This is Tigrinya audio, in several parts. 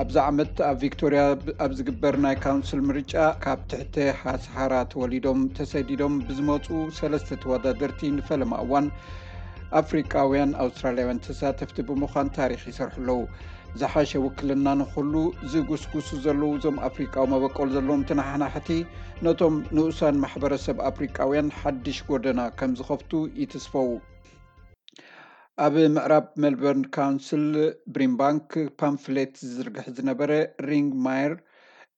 ኣብዚ ዓመት ኣብ ቪክቶርያ ኣብ ዝግበር ናይ ካውንስል ምርጫ ካብ ትሕቲ ሃስሃራ ተወሊዶም ተሰዲዶም ብዝመፁ ሰለስተ ተወዳደርቲ ንፈለማ እዋን ኣፍሪቃውያን ኣውስትራልያውያን ተሳተፍቲ ብምዃን ታሪኽ ይሰርሑ ኣለዉ። ዝሓሸ ውክልና ንኹሉ ዝጉስጉሱ ዘለዉ እዞም ኣፍሪቃዊ መበቆል ዘለዎም ተነሓናሕቲ ነቶም ንኡሳን ማሕበረሰብ ኣፍሪቃውያን ሓድሽ ጎደና ከም ዝኸፍቱ ይትስፈዉ። ኣብ ምዕራብ ሜልበርን ካውንስል ብሪምባንክ ፓምፍሌት ዝዝርግሕ ዝነበረ ሪንግ ማየር፣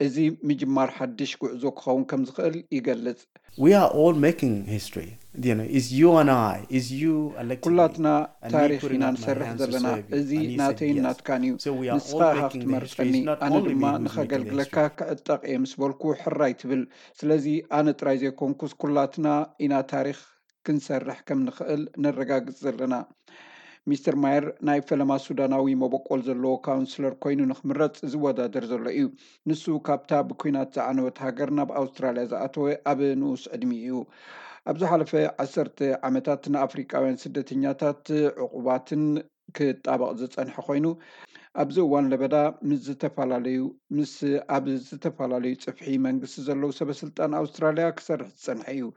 እዚ ምጅማር ሓድሽ ጉዕዞ ክኸውን ከም ዝኽእል ይገልጽ። We are all making history. You know, is you and I, is you elected me, ኩላትና and me ታሪኽ putting ኢና up my ንሰርሕ hands to ዘለና። serve you, እዚ and he said ናተይን yes. ናትካን እዩ። So we are all ንስኻ ኢኻ making the history. ክትመርጸኒ፣ It's not ኣነ only ድማ me who's making the ንኸገልግለካ history. ክዕጠቕ እየ ምስ በልኩ ሕራይ ትብል። ስለዚ ኣነ ጥራይ ዘይኮንኩስ ኩላትና ኢና ታሪኽ ክንሰርሕ ከም ንኽእል ነረጋግጽ ዘለና። ሚስተር ማየር ናይ ፈለማ ሱዳናዊ መበቆል ዘለዎ ካውንስለር ኮይኑ ንኽምረጽ ዝወዳደር ዘሎ እዩ። ንሱ ካብታ ብኲናት ዝዓነወት ሃገር ናብ ኣውስትራልያ ዝኣተወ ኣብ ንኡስ ዕድሚኡ እዩ። ኣብ ዝሓለፈ ዓሰርተ ዓመታት ንኣፍሪቃውያን ስደተኛታት ዕቑባትን ክጣበቕ ዝጸንሐ ኮይኑ፣ ኣብዚ እዋን ለበዳ ምስ ዝተፈላለዩ ምስ ኣብ ዝተፈላለዩ ጽፍሒ መንግስቲ ዘለዉ ሰበስልጣን ኣውስትራልያ ክሰርሕ ዝጸንሐ እዩ።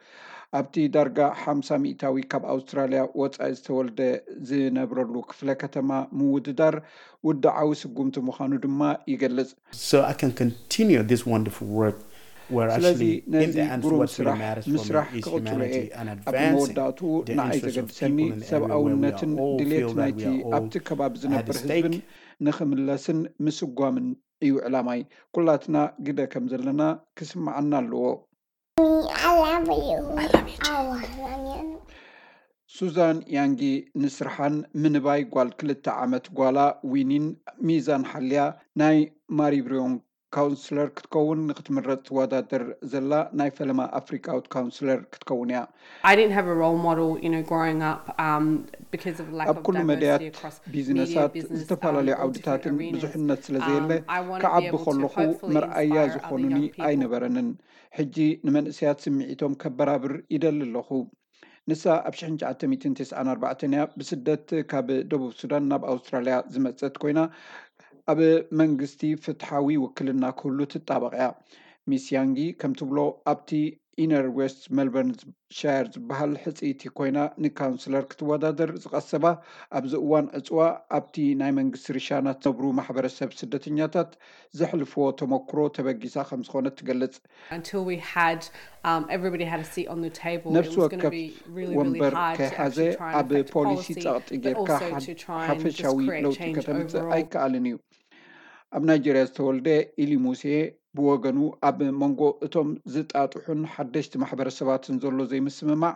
ኣብቲ ዳርጋ ሓምሳ ሚእታዊ ካብ ኣውስትራልያ ወጻኢ ዝተወልደ ዝነብረሉ ክፍለ ከተማ ምውድዳር ውድዓዊ ስጉምቲ ምዃኑ ድማ ይገልጽ። So I can continue this wonderful work where ስለዚ actually in ነዚ the end ግሩም what really ስራሕ matters for me ምስራሕ is ክቕጽሎ እየ። humanity and ኣብ advancing መወዳእትኡ the ንዓይ interests of ዘገድሰኒ people in the area where we are ሰብኣውነትን all ድሌት feel that ናይቲ we are all ኣብቲ ከባቢ at ዝነብር stake. ህዝብን ንኽምለስን ምስጓምን እዩ ዕላማይ። ኩላትና ግደ ከም ዘለና ክስምዓና ኣለዎ። I love you. I love you too. ሱዛን ያንጊ ንስርሓን ምንባይ ጓል ክልተ ዓመት ጓላ ዊኒን ሚዛን ሓልያ ናይ ማሪብሪዮን ካውንስለር ክትከውን ንክትምረጥ ትወዳደር ዘላ ናይ ፈለማ ኣፍሪቃዊት ካውንስለር ክትከውን እያ። I didn't have a role model, you know, growing up, um, because of lack ኣብ of ኩሉ diversity መድያት across media, ቢዝነሳት business, ዝተፈላለዩ um, all ዓውድታትን different arenas. ብዙሕነት ስለዘየለ Um, I want to be ክዓቢ able to ከለኹ hopefully መርኣያ inspire other ዝኾኑኒ young people. ኣይነበረንን። ሕጂ ንመንእሰያት ስምዒቶም ከበራብር ይደሊ ኣለኹ። ንሳ ኣብ ሽሕን ትሽዓተ ሚእትን ተስዓን ኣርባዕተን እያ ብስደት ካብ ደቡብ ሱዳን ናብ ኣውስትራልያ ዝመጸት ኮይና፣ ኣብ መንግስቲ ፍትሓዊ ውክልና ክህሉ ትጣበቕ እያ። ሚስ ያንጊ ከም ትብሎ፣ ኣብቲ ኢነር ዌስት ሜልበርን ሻየር ዝበሃል ሕጽይቲ ኮይና ንካውንስለር ክትወዳደር ዝቐሰባ፣ ኣብዚ እዋን ዕጽዋ ኣብቲ ናይ መንግስቲ ርሻናት ዝነብሩ ማሕበረሰብ ስደተኛታት ዘሕልፍዎ ተመክሮ ተበጊሳ ከም ዝኾነት ትገልጽ። Until we had um, everybody had a seat on the table, it ነፍሲ was going to ወከፍ be really, really ወንበር hard to ከይሓዘ actually try and ኣብ affect ፖሊሲ policy, ጸቕጢ but ጌርካ also ሓድ- to try and just ሓፈሻዊ create ለውጢ change ከተምጽእ overall. ኣይከኣልን እዩ። ኣብ ናይጀርያ ዝተወልደ ኢሊ ሙሴ ብወገኑ፣ ኣብ መንጎ እቶም ዝጣጥሑን ሓደሽቲ ማሕበረሰባትን ዘሎ ዘይምስምማዕ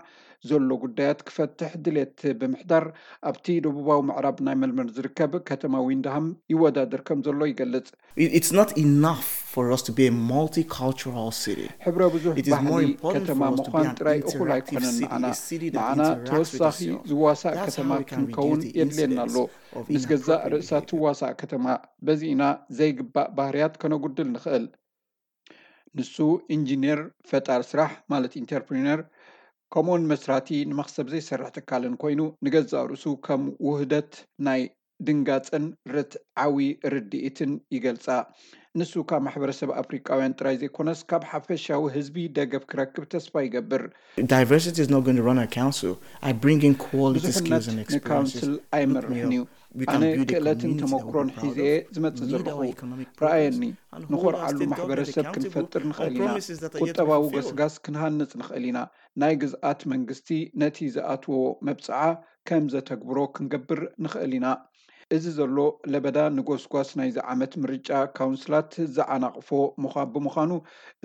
ዘሎ ጉዳያት ክፈትሕ ድሌት ብምሕዳር፣ ኣብቲ ደቡባዊ ምዕራብ ናይ ሜልበርን ዝርከብ ከተማ ዊንድሃም ይወዳደር ከም ዘሎ ይገልጽ። It- It's not enough for us to be a multicultural city. ሕብረ ብዙሕ It is more ባህሊ important ከተማ for us to be ምዃን an ጥራይ እኹል interactive ኣይኮነን። city, ንዓና a city that ንዓና interacts with ተወሳኺ itself. ዝዋሳእ That's ከተማ how we can ክንከውን reduce the የድልየና ኣሎ። incidence of ምስ ገዛእ inappropriate ርእሳ behavior. ትዋሳእ ከተማ፣ በዚ ኢና ዘይግባእ ባህርያት ከነጉድል ንኽእል። ንሱ ኢንጂነር፣ ፈጣር ስራሕ ማለት ኢንተርፕሪነር፣ ከምኡውን መስራቲ ንመኽሰብ ዘይሰርሕ ትካልን ኮይኑ፣ ንገዛእ ርእሱ ከም ውህደት ናይ ድንጋጸን ርትዓዊ ርድኢትን ይገልጻ። ንሱ ካብ ማሕበረሰብ ኣፍሪቃውያን ጥራይ ዘይኮነስ፣ ካብ ሓፈሻዊ ህዝቢ ደገፍ ክረክብ ተስፋ ይገብር። Diversity is not going to run a council. I bring in quality skills ብዙሕነት and experiences. ንካውንስል ኣይመርሕን እዩ። ኣነ ክእለትን ተመክሮን ሒዘ ዝመጽእ ዘለኹ። ረኣየኒ፣ ንኾርዓሉ ማሕበረሰብ ክንፈጥር ንኽእል ኢና። ቁጠባዊ ገስጋስ ክንሃንጽ ንኽእል ኢና። ናይ ግዝኣት መንግስቲ ነቲ ዝኣትዎ መብጽዓ ከም ዘተግብሮ ክንገብር ንኽእል ኢና። እዚ ዘሎ ለበዳ ንጎስጓስ ናይዚ ዓመት ምርጫ ካውንስላት ዝዓናቕፎ ምዃ- ብምዃኑ፣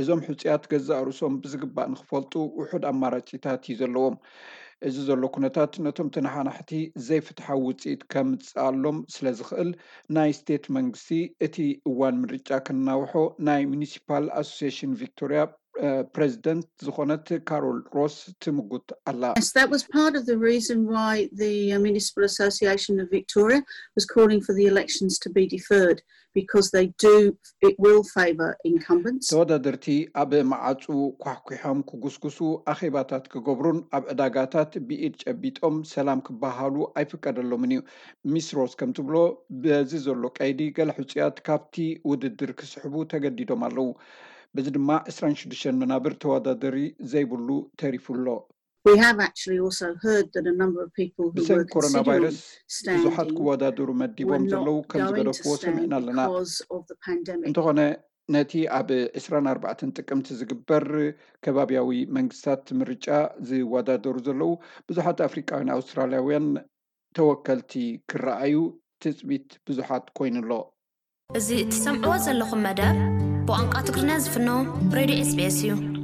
እዞም ሕጹያት ገዛእ ርእሶም ብዝግባእ ንኽፈልጡ ውሑድ ኣማራጺታት እዩ ዘለዎም። እዚ ዘሎ ኩነታት ነቶም ተነሓናሕቲ ዘይፍትሓዊ ውጽኢት ከምጽኣሎም ስለ ዝኽእል፣ ናይ ስቴት መንግስቲ እቲ እዋን ምርጫ ከናውሖ ናይ ሚኒሲፓል ኣሶሲሽን ቪክቶርያ ፕሬዚደንት ዝኾነት ካሮል ሮስ ትምጉት ኣላ። Yes, that was part of the reason why the uh, Municipal Association of Victoria was calling for the elections to be deferred because they do, it will favour incumbents. ተወዳደርቲ ኣብ መዓፁ ኳሕኩሖም ክጉስጉሱ፣ ኣኼባታት ክገብሩን ኣብ ዕዳጋታት ብኢድ ጨቢጦም ሰላም ክበሃሉ ኣይፍቀደሎምን እዩ። ሚስ ሮስ ከም ትብሎ፣ በዚ ዘሎ ቀይዲ ገለ ሕፁያት ካብቲ ውድድር ክስሕቡ ተገዲዶም ኣለዉ። በዚ ድማ ዕስራን ሽዱሽተን መናብር ተወዳደሪ ዘይብሉ ተሪፉ ኣሎ። We have actually also heard that a number of people who ብሰንኪ were ኮሮና considering ቫይረስ ብዙሓት standing ክወዳደሩ were መዲቦም not ዘለዉ ከም going to ዝገደፍዎ stand ሰሚዕና ኣለና። Because of the pandemic. እንተኾነ፣ ነቲ ኣብ ዕስራን ኣርባዕተን ጥቅምቲ ዝግበር ከባቢያዊ መንግስታት ምርጫ ዝወዳደሩ ዘለዉ ብዙሓት ኣፍሪቃውያን ኣውስትራልያውያን ተወከልቲ ክረኣዩ ትፅቢት ብዙሓት ኮይኑ ኣሎ። እዚ እትሰምዕዎ ዘለኹም መደብ ብቋንቋ ትግርኛ ዝፍኖ ሬድዮ ኤስቢኤስ እዩ።